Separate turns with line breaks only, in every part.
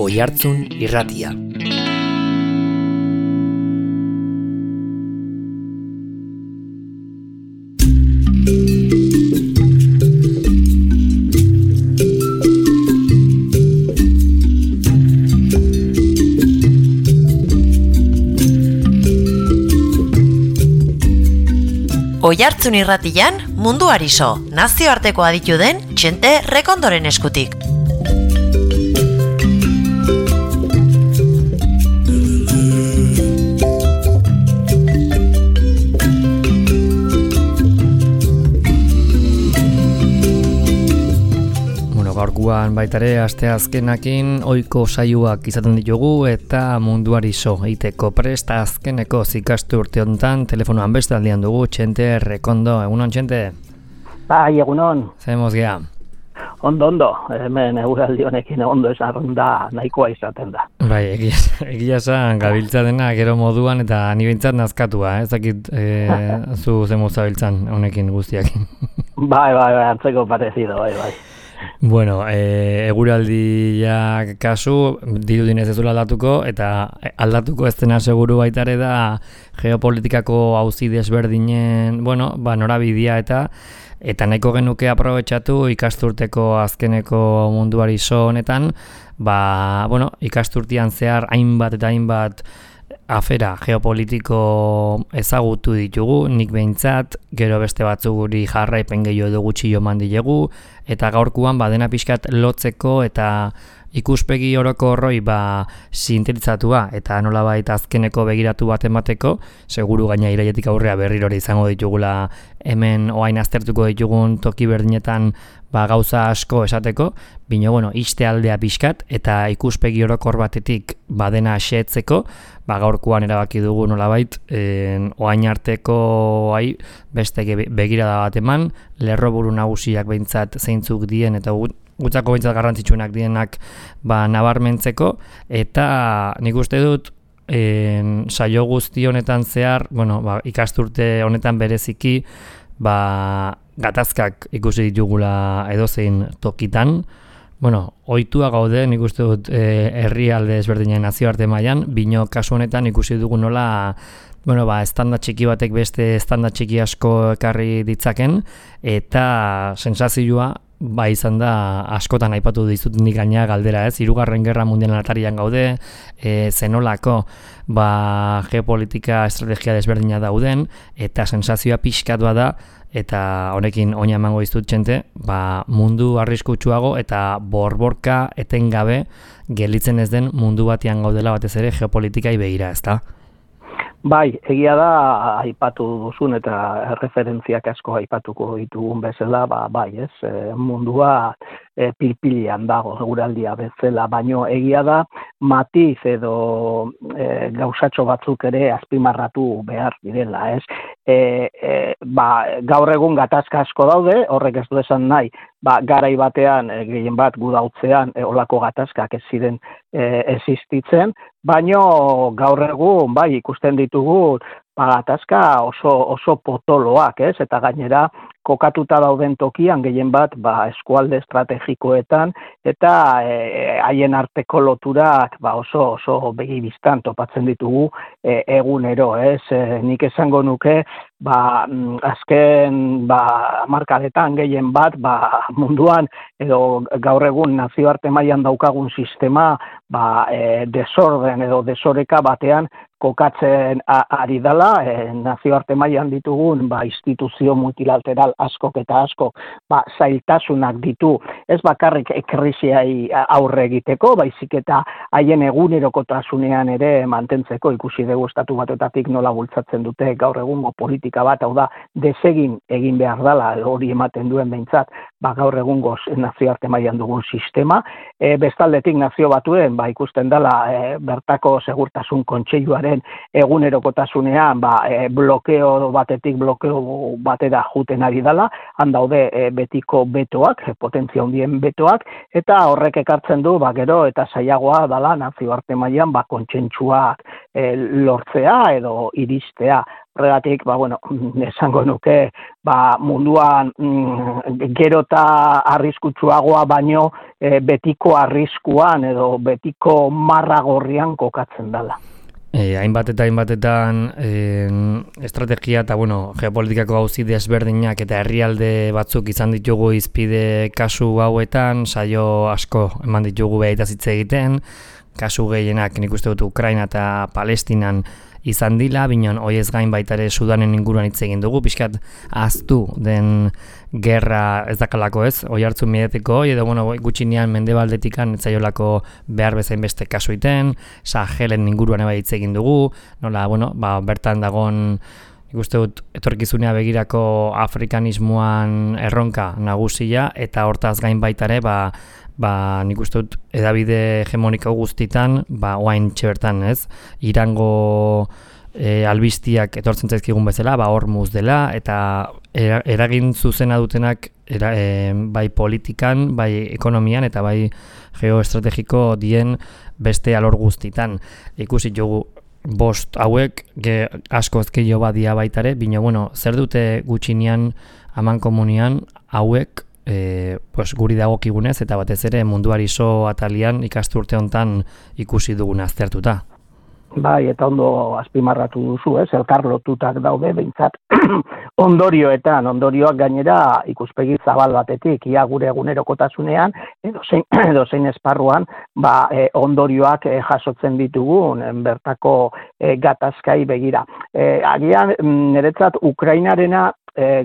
Oihartzun Irratia.
Oihartzun Irratian munduari so, nazioarteko aditu den Txente Rekondoren eskutik.
Gaurkoan baitare aste azkenakin ohiko saioak izaten ditugu eta munduari so egiteko prest azkeneko zikastu urte honetan telefonoan beste aldian dugu Txente Rekondo. Egunon, Txente?
Bai, egunon.
Zemuz gea?
Ondo, hemen eguraldi honekin ondo esan da nahikoa izaten da.
Bai, egia esan gabiltza dena gero moduan eta ni behintzat nazkatua, ez dakit zu zemuz zabiltzan honekin guztiakin.
Bai, antzeko parezido, bai.
Bueno, eguraldiak kasu dirudinez ez duela aldatuko eta aldatuko ez dena seguru baitare da geopolitikako auzi desberdinen, norabidea eta nahiko genuke aprobetxatu ikasturteko azkeneko munduari so honetan, ikasturtean zehar hainbat afera geopolitiko ezagutu ditugu, nik behintzat, gero beste batzuk guri jarraipen gehiago edo gutxi joman dilegu, eta gaurkoan dena pixkat lotzeko eta ikuspegi orokorroi sintetzatua eta nolabait azkeneko begiratu bat emateko, seguru gaina iraietik aurrea berrirore izango ditugula hemen oain aztertuko ditugun toki berdinetan gauza asko esateko, bino, iste aldea pixkat eta ikuspegi orokor batetik dena xeetzeko, gaurkoan erabaki dugu nolabait, oain arteko beste begirada bat eman, lerroburu nagusiak behintzat zeintzuk dien eta gutzako behintzat garrantzitsuenak dienak nabarmentzeko, eta nik uste dut saio guzti honetan zehar, ikasturte honetan bereziki, gatazkak ikusi ditugula edozein tokitan, ohitua gaude, nik uste dut herrialde ezberdinen nazioarte mailan, bino kasu honetan ikusi dugu nola estanda txiki batek beste estanda txiki asko ekarri ditzaken, eta sensazioa izan da askotan aipatu dizut nik gaina galdera, ez? Hirugarren Gerra Mundialen atarian gaude, zenolako geopolitika estrategia desberdina dauden, eta sensazioa pixkatua da, eta honekin oina emango dizut Txente, mundu arriskutsuago eta borborka etengabe gelditzen ez den mundu batean gaudela batez ere geopolitikai begira, ezta?
Bai, egia da aipatu duzun eta referentziak asko aipatuko ditugun bezala, mundua pilpilian dago eguraldia bezala, baino egia da matiz edo gauzatxo batzuk ere azpimarratu behar direla, ez? Gaur egun gatazka asko daude, horrek ez du esan nahi, garai batean, gehien bat gudautzean, olako gatazkak ez ziren existitzen, baino gaur egun, ikusten ditugu, gatazka oso potoloak, ez? Eta gainera, kokatuta dauden tokian gehien bat eskualde estrategikoetan eta haien arteko loturak oso begibistan topatzen ditugu egunero, ez? Nik esango nuke azken hamarkadetan gehien bat munduan edo gaur egun nazioarte mailan daukagun sistema desorden edo desoreka batean kokatzen ari dela, nazioarte mailan ditugun instituzio multilateral askok eta askok zailtasunak ditu, ez bakarrik krisiai aurre egiteko, baizik eta haien egunerokotasunean ere mantentzeko, ikusi dugu estatu batetatik nola bultzatzen dute gaur egungo politika bat, hau da, desegin egin behar dela, hori ematen duen behintzat, gaur egungo nazioarte mailan dugun sistema, bestaldetik nazio batuen ikusten dela bertako segurtasun kontseiluaren egunerokotasunean blokeo batetik blokeo batera juten ari dela, han daude betiko betoak, potentzia handien betoak, eta horrek ekartzen du gero eta zailagoa dela nazioarte mailan kontsentsuak lortzea edo iristea. Horregatik, esango nuke, munduan gero eta arriskutsuagoa baino betiko arriskuan edo betiko marra gorrian kokatzen dela.
Hainbatetan estrategia eta geopolitikako gauzi desberdinak eta herrialde batzuk izan ditugu izpide kasu hauetan, saio asko eman ditugu behitaz hitz egiten, kasu gehienak nik uste dut Ukraina eta Palestinan izan dila, binon hoiez gain baita ere Sudanen inguruan hitz egin dugu, pixkat ahaztu den gerra ez dakalako ez, oihartzun mediatiko, edo gutxinean mendebaldetikan etzaiolako behar bezain beste kasu iten, Sahelen inguruan eba hitz egin dugu, nola, bertan dagon nik uste dut etorkizunea begirako afrikanismoan erronka nagusia, eta hortaz gain baita ere, nik uste dut edabide hegemoniko guztitan, oain txebertan ez, Irango albistiak etortzen zaizkigun bezala, Hormuz dela, eta eragin zuzena dutenak bai politikan, bai ekonomian, eta bai geoestrategiko dien beste alor guztitan. Ikusi jogu bost hauek, asko ezkeio badia baitare, bino, zer dute gutxinean, aman komunian, hauek, guri dagokigunez eta batez ere munduari so atalian ikasturte hontan ikusi duguna aztertuta.
Bai, eta ondo azpimarratu duzu, elkarlotutak daude, behintzat ondorioak gainera ikuspegi zabal batetik, ia gure egunerokotasunean, edo zein esparruan, ondorioak jasotzen ditugun, bertako gatazkai begira. Agian, niretzat, Ukrainarena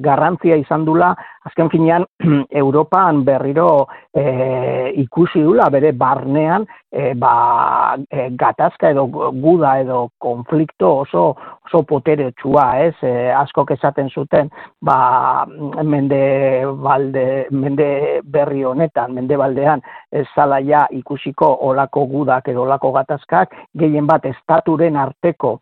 garrantzia izan dula, azken finean, Europan berriro ikusi dula, bere barnean, gatazka edo guda edo konflikto oso poteretsua, askok esaten zuten, mende berri honetan, mendebaldean, ez zala ja ikusiko olako gudak edo olako gatazkak, gehien bat estaturen arteko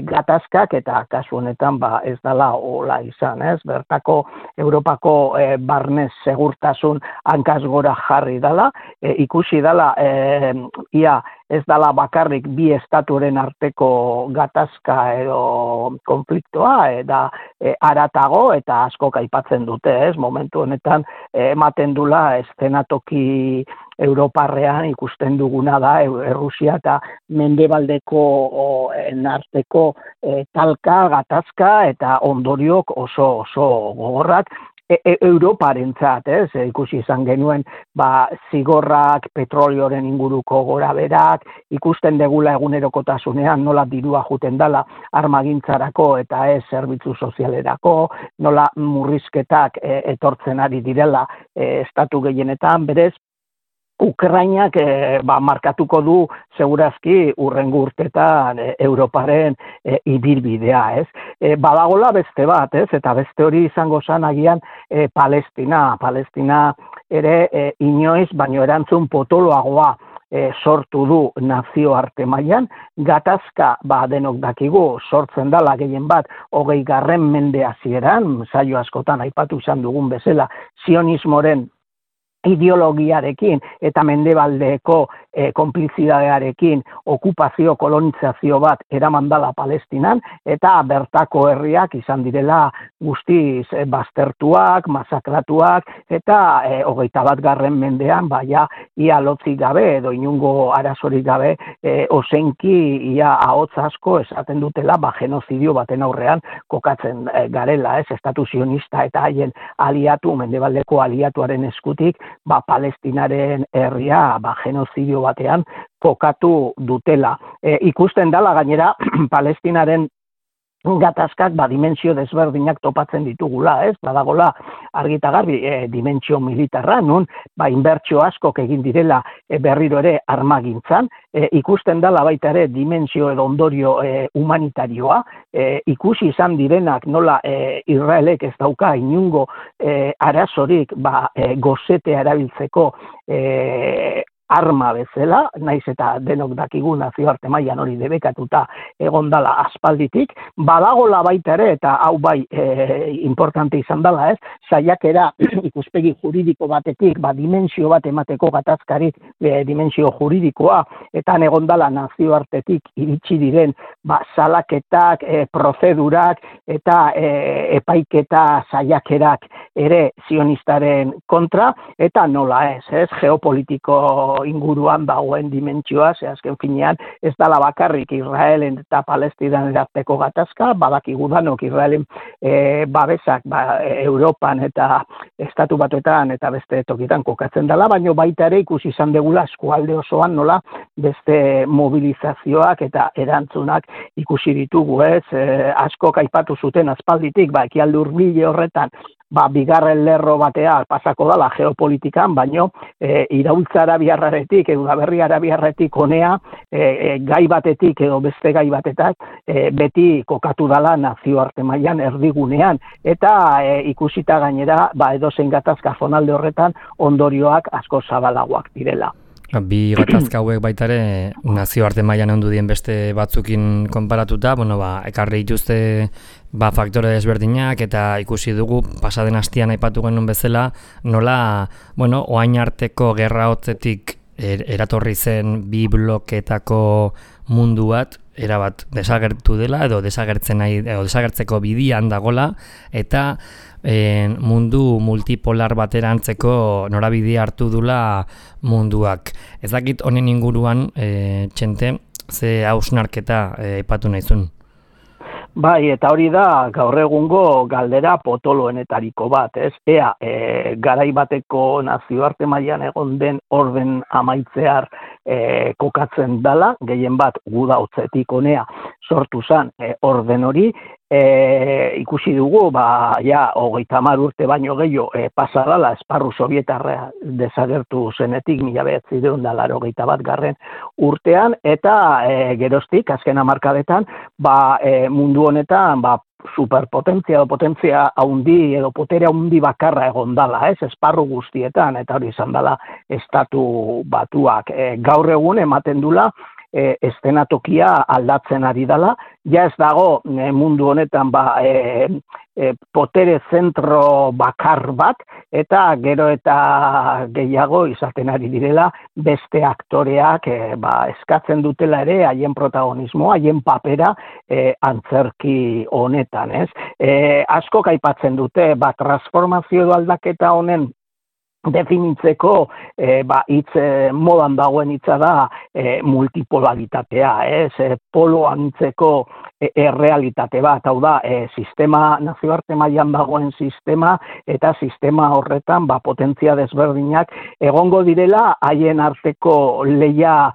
gatazkak, eta kasu honetan ez dala ola izan, bertako Europako barnez segurtasun hankaz gora jarri dala, ikusi dala ia ez dala bakarrik bi estaturen arteko gatazka edo konfliktoa, eta haratago eta askok aipatzen dute, momentu honetan ematen dula eszenatoki Europarrean ikusten duguna da Errusia eta mendebaldeko arteko talka, gatazka eta ondoriok oso gogorrak, Europarentzat, ikusi izan genuen, zigorrak, petrolioren inguruko goraberak, ikusten degula egunerokotasunean nola dirua juten dala armagintzarako eta ez zerbitzu sozialerako, nola murrizketak etortzen ari direla estatu gehienetan, berez, Ukrainak markatuko du segurazki urrengo urtetan Europaren ibilbidea, badagola beste bat, eta beste hori izango zen agian Palestina. Palestina ere inoiz, baino erantzun potoloagoa sortu du nazioarte mailan, gatazka denok dakigu sortzen dala gehien bat 20. mende hasieran, saio askotan aipatu izan dugun bezala, sionismoren ideologiarekin eta mendebaldeko konplizidadearekin okupazio, kolonizazio bat eraman dala Palestinan, eta bertako herriak izan direla guztiz baztertuak, masakratuak, eta 21. mendean, ia lotzik gabe edo inungo arazorik gabe, ozenki ia ahots asko esaten dutela genozidio baten aurrean kokatzen garela, estatu sionista eta haien aliatu, mendebaldeko aliatuaren eskutik, Palestinaren herria genozidio batean kokatu dutela. Ikusten dala gainera Palestinaren gatazkak dimensio desberdinak topatzen ditugula, badagola argita garbi dimentsio militarra, nun inbertsio askok egin direla berriro ere armagintzan, ikusten dala baita ere dimentsio edo ondorio humanitarioa, ikusi izan direnak nola Israelek ez dauka inungo arazorik gozetea erabiltzeko arma bezala, naiz eta denok dakigu nazioarte mailan hori debekatuta egondala aspalditik, badagola baita ere, eta hau bai importante izan dela, saiakera ikuspegi juridiko batetik, dimensio bat emateko gatazkari dimensio juridikoa, eta egondala nazioartetik iritsi diren salaketak, prozedurak eta epaiketa saiakerak ere zionistaren kontra, eta nola ez, geopolitiko inguruan dagoen dimentsioa, azken finean ez dala bakarrik Israelen eta Palestinan arteko gatazka, badakigu danok Israelen babesak Europan eta Estatu Batuetan eta beste tokitan kokatzen dela, baina baita ere ikusi izan degula eskualde osoan nola beste mobilizazioak eta erantzunak ikusi ditugu, askok aipatu zuten aspalditik, ekialde hurbile horretan, bigarren lerro batea pasako dala geopolitikan, baino iraultza arabiarraretik, Udaberri arabiarretik honea, gai batetik edo beste gai batetak, beti kokatu dala nazioarte mailan erdigunean, eta ikusita gainera, edozein gatazka zonalde horretan ondorioak asko zabalagoak direla.
Bi gatazka hauek baita ere nazioarte mailan ondu dien beste batzukin konparatuta, ekarri dituzte faktore desberdinak eta ikusi dugu pasaden astean aipatu genuen bezala, nola, orain arteko gerra hotzetik eratorri zen bi bloketako mundu bat, erabat desagertu dela edo desagertzeko bidian dagola, eta mundu multipolar baterantzeko norabidea hartu dula munduak. Ez dakit honen inguruan, Txente, ze hausnarketa aipatu nahizun?
Bai, eta hori da gaur egungo galdera potoloenetariko bat, Ea, garai bateko nazioarte mailan egon den orden amaitzear kokatzen dala, gehien bat gudautzetik honea sortu zen orden hori, ikusi dugu, 30 urte baino gehiago pasa dala esparru sovietarra desagertu zenetik 1981 urtean, eta geroztik, azken hamarkadetan, mundu honetan, superpotentzia edo potentzia haundi edo potere haundi bakarra egon dala, esparru guztietan, eta hori izan dala Estatu Batuak. Gaur egun ematen dula, estenatokia aldatzen ari dela, ez dago mundu honetan potere zentro bakar bat, eta gero eta gehiago izaten ari direla beste aktoreak eskatzen dutela ere haien protagonismoa, haien papera antzerki honetan. Askok aipatzen dute, transformazio edo aldaketa honen definitzeko hitz modan dagoen hitza da multipolaritatea, polo anitzeko errealitate bat, hau da, nazioarte mailan dagoen sistema, eta sistema horretan potentzia desberdinak egongo direla haien arteko leia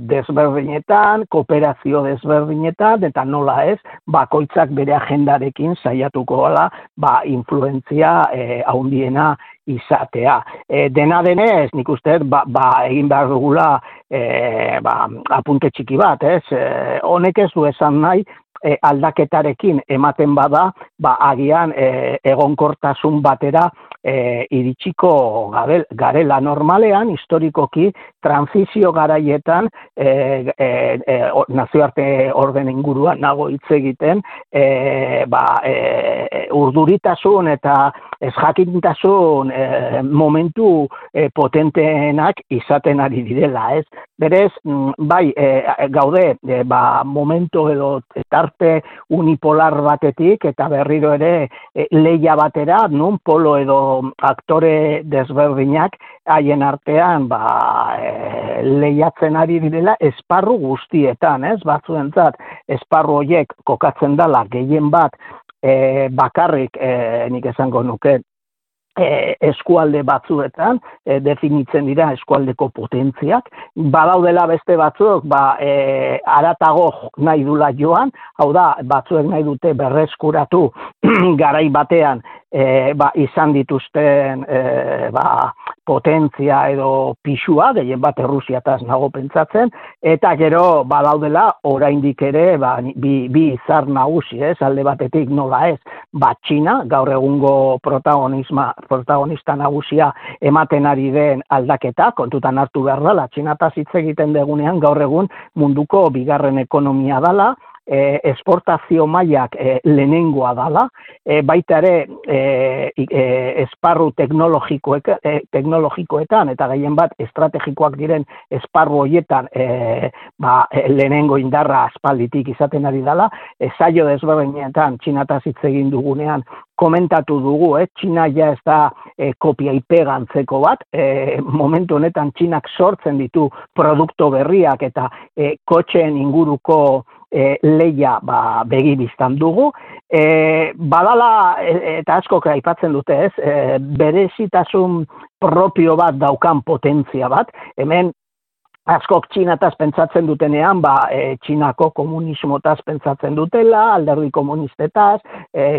desberdinetan, kooperazio desberdinetan, eta nola ez, bakoitzak bere agendarekin saiatuko gala influentzia handiena izatea. Dena denez, nik uste, egin behar dugula apunte txiki bat, honek ez du esan nahi, aldaketarekin ematen bada, agian egonkortasun batera iritsiko garela. Normalean, historikoki, transizio garaietan, nazioarte orden inguruan nago hitz egiten, urduritasun eta ezjakintasun momentu potenteenak izaten ari direla, Berez, gaude, momento edo tarte unipolar batetik, eta berriro ere leia batera, nun polo edo aktore desberdinak haien artean lehiatzen ari direla esparru guztietan, batzuentzat esparru horiek kokatzen dela gehien bat bakarrik, nik esango nuke, eskualde batzuetan definitzen dira eskualdeko potentziak, badaudela beste batzuk haratago nahi dula joan, hau da, batzuek nahi dute berreskuratu garai batean izan dituzten potentzia edo pisua, gehien bat Errusiataz nago pentsatzen, eta gero badaudela oraindik ere bi izar nagusi, alde batetik nola ez, Txina, gaur egungo protagonista nagusia ematen ari den aldaketa, kontutan hartu behar dela, Txinataz hitz egiten degunean gaur egun munduko bigarren ekonomia dela, esportazio mailak lehenengoa dala, baita ere esparru teknologikoetan eta gehien bat estrategikoak diren esparru horietan lehenengo indarra aspalditik izaten ari dala, saio desberdinetan Txinataz hitz egin dugunean komentatu dugu, Txina ja ez da kopia ipega antzeko bat, momentu honetan Txinak sortzen ditu produkto berriak eta kotxeen inguruko leia begibiztan dugu. Badala, eta askok aipatzen dute berezitasun propio bat daukan potentzia bat, hemen askok Txinataz pentsatzen dutenean, Txinako komunismotaz pentsatzen dutela, alderdi komunistetaz,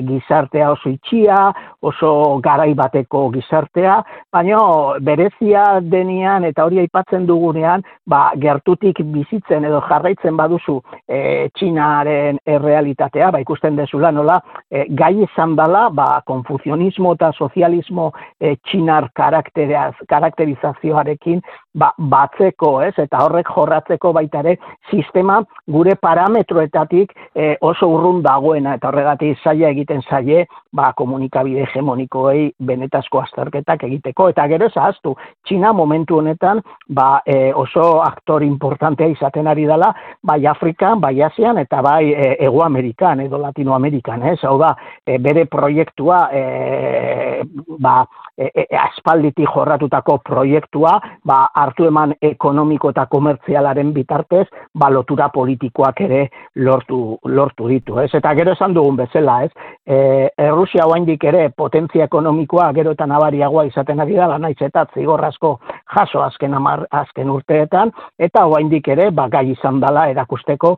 gizartea oso itxia, oso garai bateko gizartea, baina berezia denean eta hori aipatzen dugunean, gertutik bizitzen edo jarraitzen baduzu Txinaren errealitatea, ikusten dezula nola, gai izan dela, konfuzionismo eta sozialismo Txinar karakterizazioarekin batzeko, eta horrek jorratzeko baita ere sistema gure parametroetatik oso urrun dagoena, eta horregatik zaila egiten zaie komunikabide hegemonikoei benetazko azterketak egiteko, eta gero zahaztu, Txina momentu honetan oso aktor importantea izaten ari dela, bai Afrikan, bai Asian, eta bai Hego Amerikan edo Latinoamerikan, hau da, bere proiektua aspalditik jorratutako proiektua, hartu eman ekonomiko eta komertzialaren bitartez, lotura politikoak ere lortu ditu. Eta gero esan dugun bezala, Errusia oraindik ere potentzia ekonomikoa gero eta nabariagoa izaten ari dela, naiz eta zigor asko jaso azken urteetan, eta oraindik ere gai izan dela erakusteko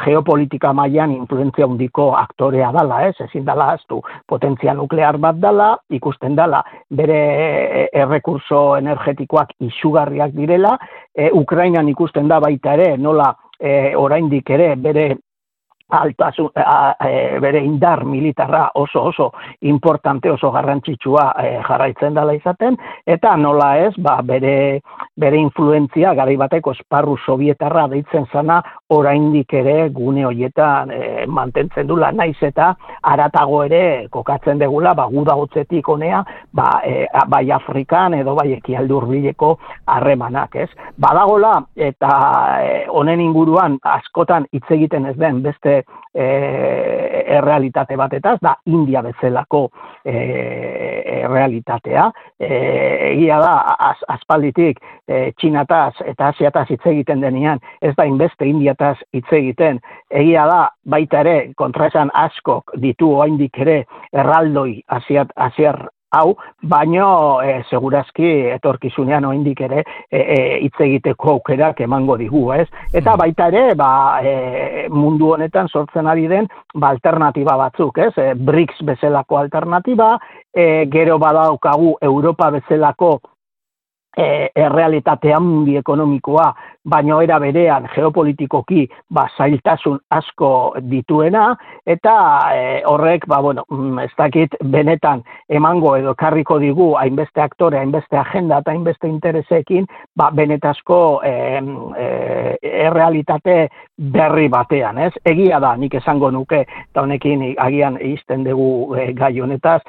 geopolitika mailan influentzia handiko aktorea dela, ezin dela ahaztu, potentzia nuklear bat dela, ikusten dela bere errekurso energetikoak izugarriak direla, Ukrainan ikusten da baita ere, nola oraindik ere bere bere indar militarra oso importante, oso garrantzitsua jarraitzen dela izaten, eta nola ez, bere influentzia garai bateko esparru sovietarra deitzen zana oraindik ere gune horietan mantentzen dula, naiz eta haratago ere kokatzen degula, guda hotzetik honea, bai Afrikan edo bai ekialde hurbileko harremanak, ez? Badagola, eta honen inguruan askotan hitz egiten ez den beste errealitate batetaz, da India bezalako realitatea. Egia da, aspalditik Txinataz eta Asiataz hitz egiten denean, ez da inbeste Indiataz hitz egiten. Egia da, baita ere, kontraesan askok ditu oraindik ere erraldoi asiar hau, baino segurazki etorkizunean oraindik ere hitz egiteko aukerak emango digu, ez? Eta baita ere, mundu honetan sortzen ari den alternatiba batzuk, ez? BRICS bezalako alternatiba, gero badaukagu Europa bezalako errealitate handi ekonomikoa, baino era berean geopolitikoki zailtasun asko dituena, eta horrek, ez dakit benetan emango edo karriko digu hainbeste aktore, hainbeste agenda eta hainbeste interesekin, benetazko errealitate berri batean, ez? Egia da, nik esango nuke, eta honekin agian izten dugu gai honetaz,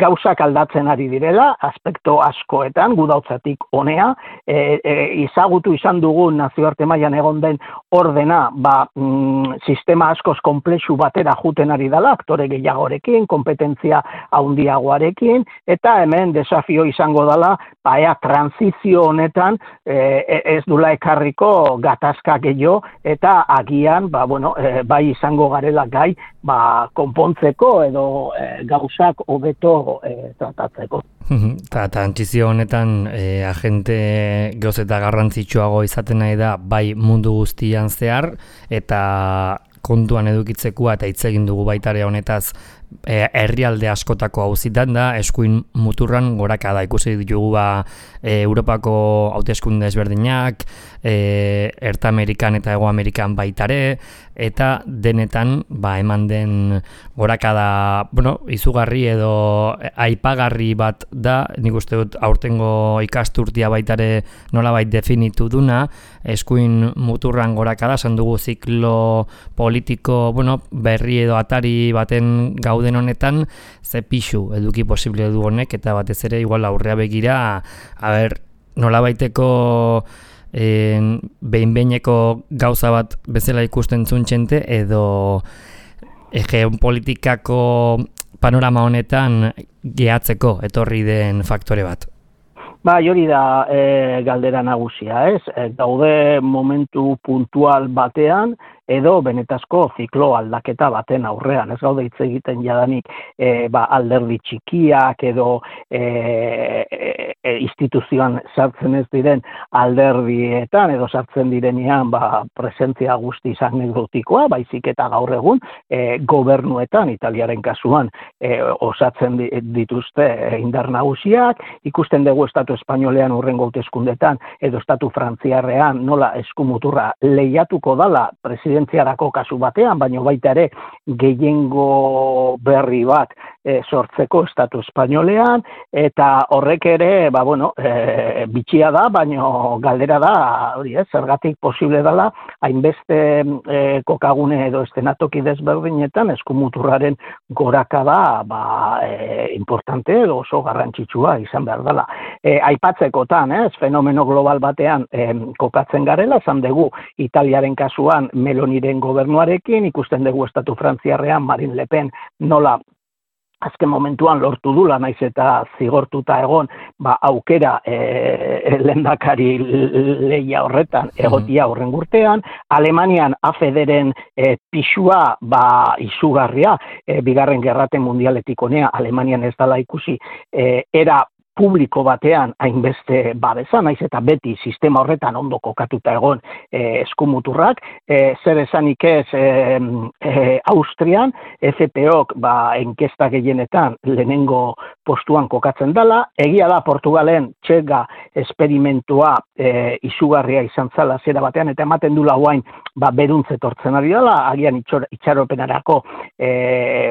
gauzak aldatzen ari direla, aspekto askoetan, gudautzatik honea, izagutu izan dugun nazioarte mailan egon den ordena, sistema askoz komplexu batera juten ari dela, aktore gehiagorekin, kompetentzia handiagoarekin, eta hemen desafio izango dela, ea transizio honetan ez dula ekarriko gatazka gehiago, eta agian, bai izango garela gai, konpontzeko edo gauzak hobeto tratatzeko.
Eta trantzizio honetan agente geoz eta garrantzitsuago izaten nahi da bai mundu guztian zehar, eta kontuan edukitzekoa eta hitz egin dugu baita ere honetaz herrialde askotako auzitan da, eskuin muturran gorakada ikusi ditugu Europako hauteskunde ezberdinak, Erta Amerikan eta Hego Amerikan baitare, eta denetan eman den gorakada, izugarri edo aipagarri bat da, nik uste dut aurtengo ikasturtia baitare nolabait definitu duna, eskuin muturran gorakada, esan dugu ziklo politiko, berri edo atari baten gauden honetan, ze pixu eduki posible du honek, eta batez ere igual aurrea begira, nolabaiteko behin-behineko gauza bat bezala ikusten zuntxente, edo geopolitikako panorama honetan gehatzeko etorri den faktore bat.
Hori da galdera nagusia, ez? Gaude momentu puntual batean, edo benetazko ziklo aldaketa baten aurrean. Ez gaude hitz egiten jadanik alderdi txikiak edo instituzioan sartzen ez diren alderdietan edo sartzen direnean presentzia guztiz anekdotikoa, baizik eta gaur egun gobernuetan, Italiaren kasuan, osatzen dituzte indar nagusiak, ikusten dugu Estatu Espainolean hurrengo hauteskundetan edo Estatu Frantziarrean nola eskumuturra lehiatuko dala presidentziarako kasu batean, baina baita ere gehiengo berri bat sortzeko Estatu Espainolean, eta horrek ere, bitxia da, baina galdera da, zergatik posible dela, hainbeste kokagune edo estenatoki desberdinetan eskumuturraren gorakada importante edo oso garrantzitsua izan behar dela. Aipatzekotan, fenomeno global batean kokatzen garela, esan dugu Italiaren kasuan Meloniren gobernuarekin, ikusten dugu Estatu Frantziarrean Marine Le Pen nola azken momentuan lortu dula, naiz eta zigortuta egon, aukera lehendakari lehia horretan egotia horren urtean. Alemanian AfDren pixua izugarria, bigarren gerrate mundialetik honea, Alemanian ez dala ikusi, era publiko batean hainbeste babesa, naiz eta beti sistema horretan ondo kokatuta egon eskumuturrak, zer esanik ez Austrian, FPOk enkesta gehienetan lehenengo postuan kokatzen dela, egia da Portugalen txega esperimentua izugarria izan zala zera batean, eta ematen dula guain beruntze tortzen ari dela, agian itxaropenarako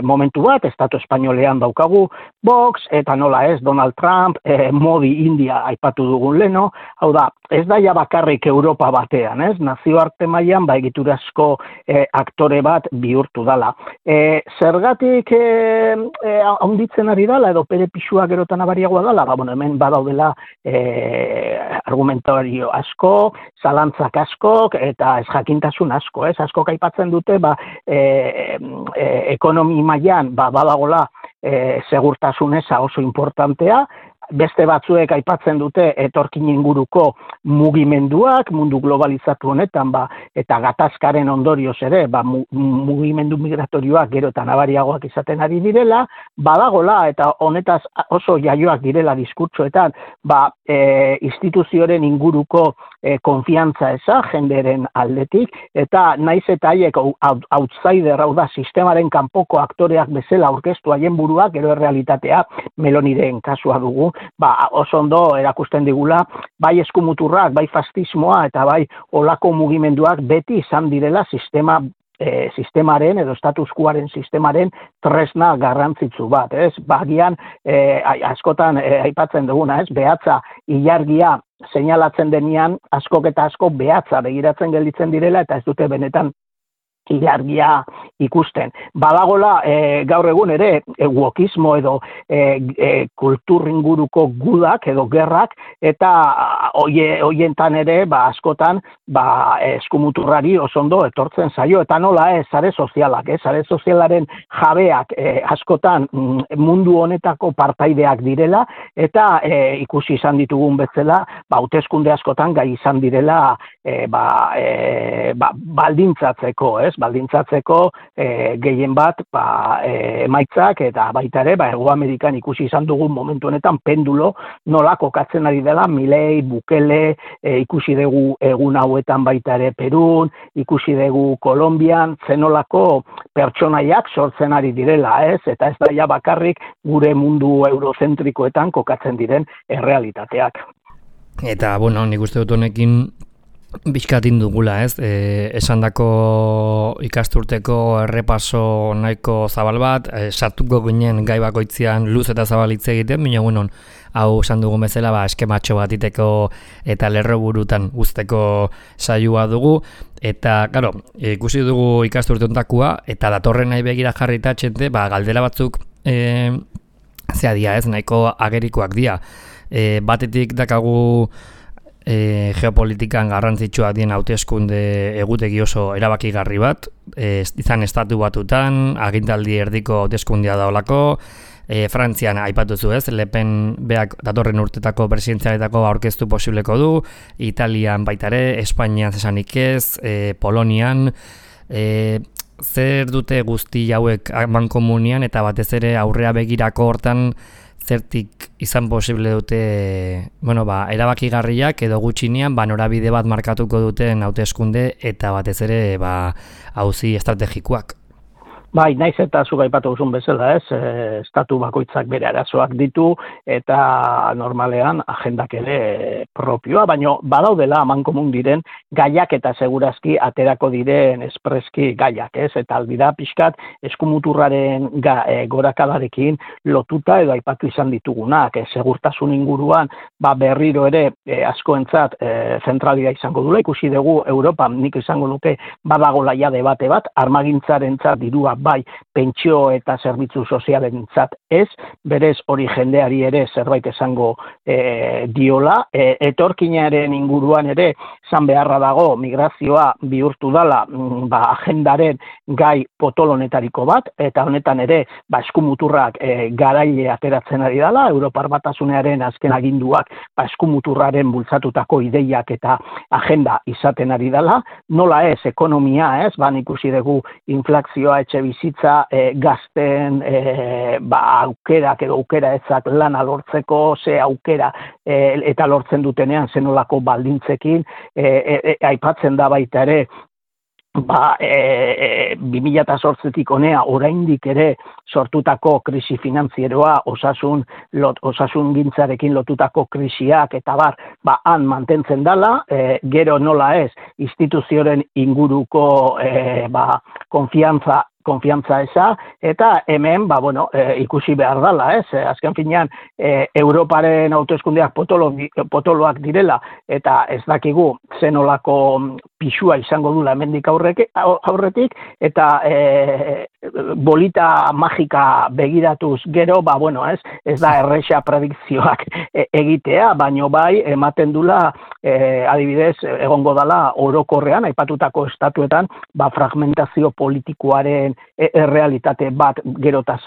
momentu bat, Estatu Espainolean daukagu Vox, eta nola ez, Donald Trump, Modi India aipatu dugun leno, hau da, ez da ja bakarrik Europa batean, ez? Nazioarte mailan egiturazko aktore bat bihurtu dala. Zergatik handitzen ari dala, edo bere pixua gerotan abariagoa dala, hemen badaudela argumentario asko, zalantzak askok, eta ez jakintasun asko, ez? Askok aipatzen dute, ekonomi mailan badagola segurtasun eza oso importantea, beste batzuek aipatzen dute etorkin inguruko mugimenduak, mundu globalizatu honetan, eta gatazkaren ondorioz ere, mugimendu migratorioak gero eta nabariagoak izaten ari direla, badagola eta honetaz oso jaioak direla diskurtsoetan, instituzioaren inguruko konfiantza eza, jenderen aldetik, eta naiz eta haiek outsider, hau da, sistemaren kanpoko aktoreak bezala aurkeztu haien buruak, gero errealitatea Meloniren kasua dugu, oso ondo erakusten digula, bai eskumuturrak, bai fascismoa, eta bai olako mugimenduak beti izan direla sistemaren edo status quoaren sistemaren tresna garrantzitsu bat, ez? Bagian askotan aipatzen duguna, ez? Behatza ilargia seinalatzen denean askok eta askok behatza begiratzen gelditzen direla eta ez dute benetan ilargia ikusten. Badagola gaur egun ere wokismo edo kultur inguruko gudak edo gerrak eta hoientan ere askotan eskumuturrari oso ondo etortzen zaio eta nola ez sare sozialak, sare sozialaren jabeak askotan mundu honetako partaideak direla eta ikusi izan ditugun bezala hauteskunde askotan gai izan direla baldintzatzeko, baldintzatzeko gehien bat emaitzak eta baita ere Hego Amerikan ikusi izan dugun momentu honetan pendulo nola kokatzen ari dela Milei, Bukele, ikusi dugu egun hauetan baita ere Perun, ikusi dugu Kolonbian, zenolako pertsonaiak sortzen ari direla, eta ez da ja bakarrik gure mundu eurozentrikoetan kokatzen diren errealitateak.
Eta, nik uste dut honekin bizkatin dugula, esandako ikasturteko errepaso nahiko zabal bat, sartuko ginen gai bakoitzean luz eta zabalitze egiten, baina hau esan dugun bezala eskematxo bat iteko eta lerro burutan uzteko saioa dugu, eta, claro, ikusi dugu ikasturte hontakoa, eta datorren nahi begira jarrita txente, galdera batzuk zea dia, nahiko agerikoak dia. Batetik dakagu geopolitikan garrantzitsua dien hauteskunde egutegi oso erabakigarri bat, izan estatu batutan, agintaldi erdiko hauteskundea daolako, Frantzian aipatu zu Le Pen beak datorren urtetako presidentzialetako aurkeztu posibleko du, Italian baita ere, Espainian zesanik ez, Polonian, zer dute guzti hauek mankomunian eta batez ere aurrea begirako hortan zertik izan posible dute erabakigarriak edo gutxinean norabide bat markatuko duten hauteskunde eta batez ere auzi estrategikoak.
Bai, naiz eta zuk aipatu duzun bezala, estatu bakoitzak bere arazoak ditu eta normalean agendak ere propioa, baina badaudela amankomun diren gaiak eta segurazki aterako diren espreski gaiak, eta aldira pixkat eskumuturraren gorakadarekin lotuta edo aipatu izan ditugunak, segurtasun inguruan berriro ere askoentzat zentralia izango dula, ikusi dugu Europan nik izango nuke badagola ja debate bat, armagintzarentzat dirua bai pentsio eta zerbitzu sozialentzat ez, berez hori jendeari ere zerbait esango diola, etorkinaren inguruan ere zan beharra dago migrazioa bihurtu dala agendaren gai potolonetariko bat, eta honetan ere eskumuturrak garaile ateratzen ari dala, Europar Batasunearen azken aginduak eskumuturraren bultzatutako ideiak eta agenda izaten ari dala, nola ez, ekonomia ez, ikusi dugu inflazioa etxe bizitza gazten aukerak edo aukera ezak lana lortzeko, ze aukera eta lortzen dutenean zenolako baldintzekin, aipatzen da baita ere 2008tik honea oraindik ere sortutako krisi finanzieroa, osasun gintzarekin lotutako krisiak eta han mantentzen dala, gero nola ez, instituzioaren inguruko konfiantza eza, eta hemen, ikusi behar dala, azken finean, Europaren hauteskundeak potoloak direla, eta ez dakigu zenolako pisua izango dula hemendik aurretik, eta bolita magika begiratuz gero, ez da erresa predikzioak egitea, baino bai, ematen dula, adibidez, egongo dala orokorrean, aipatutako estatuetan, fragmentazio politikoaren errealitate bat gerota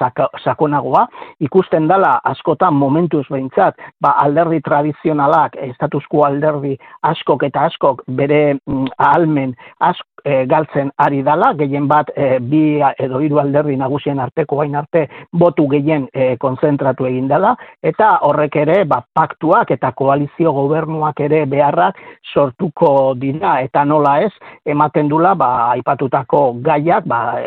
sakonagoa, ikusten dala askotan momentuz behintzat, alderdi tradizionalak, status quo alderdi askok eta askok bere ahalmen galtzen ari dala, gehien bat bi edo hiru alderdi nagusien arteko bain arte botu gehien konzentratu egin dela, eta horrek ere paktuak eta koalizio gobernuak ere beharrak sortuko dira, eta nola ez, ematen dula aipatutako gaiak,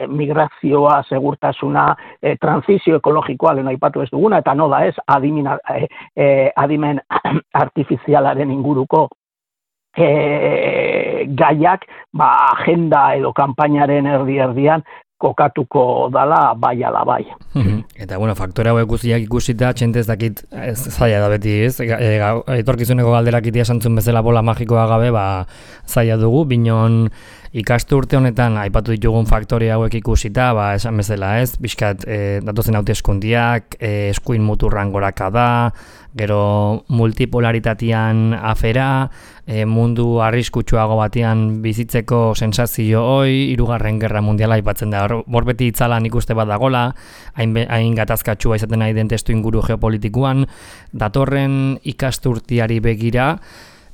migrazioa, segurtasuna, transizio ekologikoa lehen aipatu ez duguna, eta nola ez, adimen artifizialaren inguruko gaiak agenda edo kanpainaren erdi-erdian kokatuko dala bai ala bai.
Eta faktore hauek guztiak ikusita, txentez dakit zaila da beti, etorkizuneko galderak itia santzun bezala bola magikoa gabe, zaila dugu, binon ikasturte honetan aipatu ditugun faktore hauek ikusita, esan bezala bizkat datozen hauteskundiak, eskuin muturran goraka da, gero multipolaritatean afera, mundu arriskutsuago batean bizitzeko sensazio hoi, 3. Gerra Mundiala aipatzen da, hor beti itzalan ikuste bat dagola, hain gatazkatsua izaten nahi den testu inguru geopolitikuan, datorren ikasturtiari begira,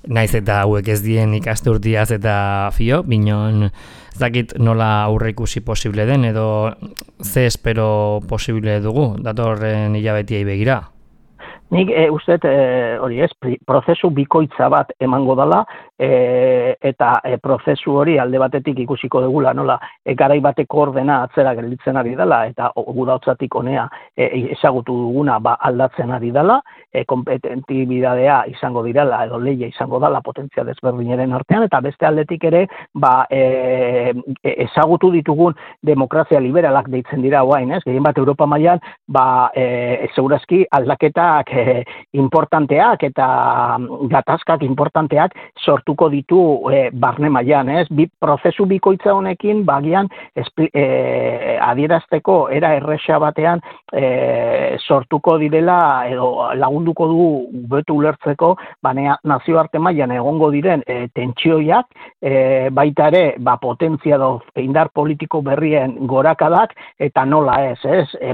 naiz eta hauek ez dien ikasturtiaz eta fio, binon ez dakit nola aurreikusi posible den edo ze espero posible dugu datorren hilabetiei begira.
Nik uste hori ez, prozesu bikoitza bat emango dela, eta prozesu hori alde batetik ikusiko dugula, nola, garai bateko ordena atzera gelditzen ari dela, eta gudautzatik honea ezagutu duguna aldatzen ari dela, kompetentibidadea izango direla, edo leia izango dela potentzia desberdinaren artean, eta beste aldetik ere, ezagutu ditugun demokrazia liberalak deitzen dira oain, ez? Gehien bat Europa mailan, segurazki aldaketak importanteak eta gatazkak importanteak sortuko ditu barne mailan, ez? Prozesu bikoitza honekin bagian adierazteko era erresa batean sortuko direla edo lagunduko du betu ulertzeko nazioarte mailan egongo diren tentsioiak, baita ere potentzia edo indar politiko berrien gorakadak eta nola ez?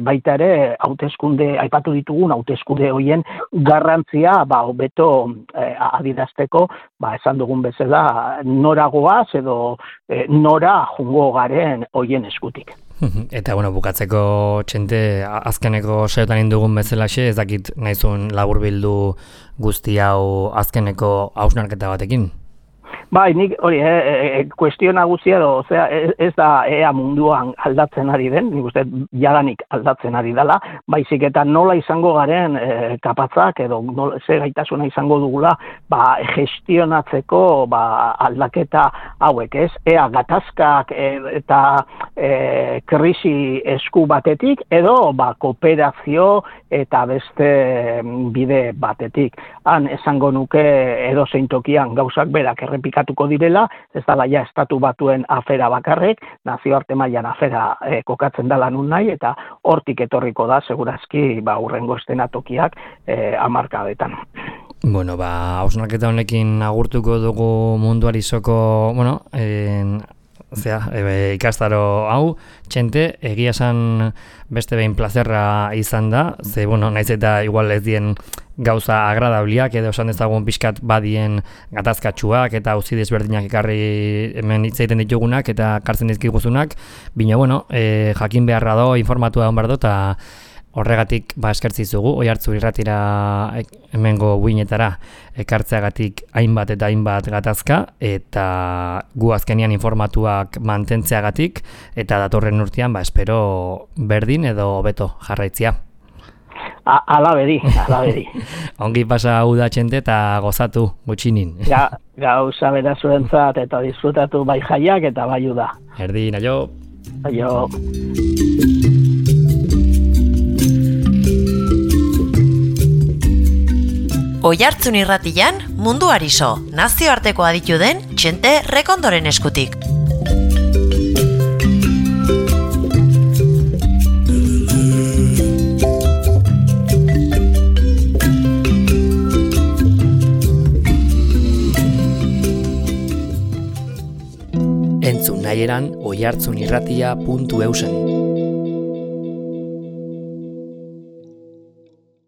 Baita ere hauteskunde aipatu ditugun hauteskunde hoien garrantzia hobeto adierazteko, esan dugun bezala noragoaz edo nora jungo garen hoien eskutik.
Eta bukatzeko Txente, azkeneko saiotan indugun bezalaxe, ez dakit nahizun laburbildu guzti hau azkeneko hausnarketa batekin?
Bai, nik hori, kuestio nagusia edo, ez da ea munduan aldatzen ari den, nik uste jadanik aldatzen ari dela, baizik eta nola izango garen kapatzak edo ze gaitasuna izango dugula gestionatzeko aldaketa hauek, ez? Ea gatazkak eta krisi esku batetik edo kooperazio eta beste bide batetik. Han esango nuke edozein tokian gauzak berak errepikatuko direla, ez dela ja estatu batuen afera bakarrek, nazioarte mailan afera kokatzen dela nun nahi, eta hortik etorriko da, segurazki, hurrengo estenatokiak hamarkadetan.
Hausnarketa honekin agurtuko dugu munduari soko, ikastaro hau, Txente, egia esan beste behin plazerra izan da, ze, naiz eta igual ez dien gauza agradabliak, edo esan dezagun pixkat badien gatazkatxuak eta auzi desberdinak ekarri hemen hitz egiten ditugunak eta kartzen dizkiguzunak, bino, jakin beharra do, informatua egon behar do, eta horregatik eskertzizugu, Oihartzun irratira hemengo buinetara ekartzeagatik hainbat eta hainbat gatazka, eta gu azkenian informatuak mantentzeagatik, eta datorren urtean, espero berdin edo hobeto jarraitzia.
Alabedi.
Ongi pasa uda Txente eta gozatu gutxinin.
Gauza bera zuentzat eta disfrutatu bai jaiak eta bai uda.
Erdin, aio.
Aio.
Oihartzun irratian munduari so, nazioarteko aditu den Txente Rekondoren eskutik.
Entzun nahieran oihartzunirratia.eusen.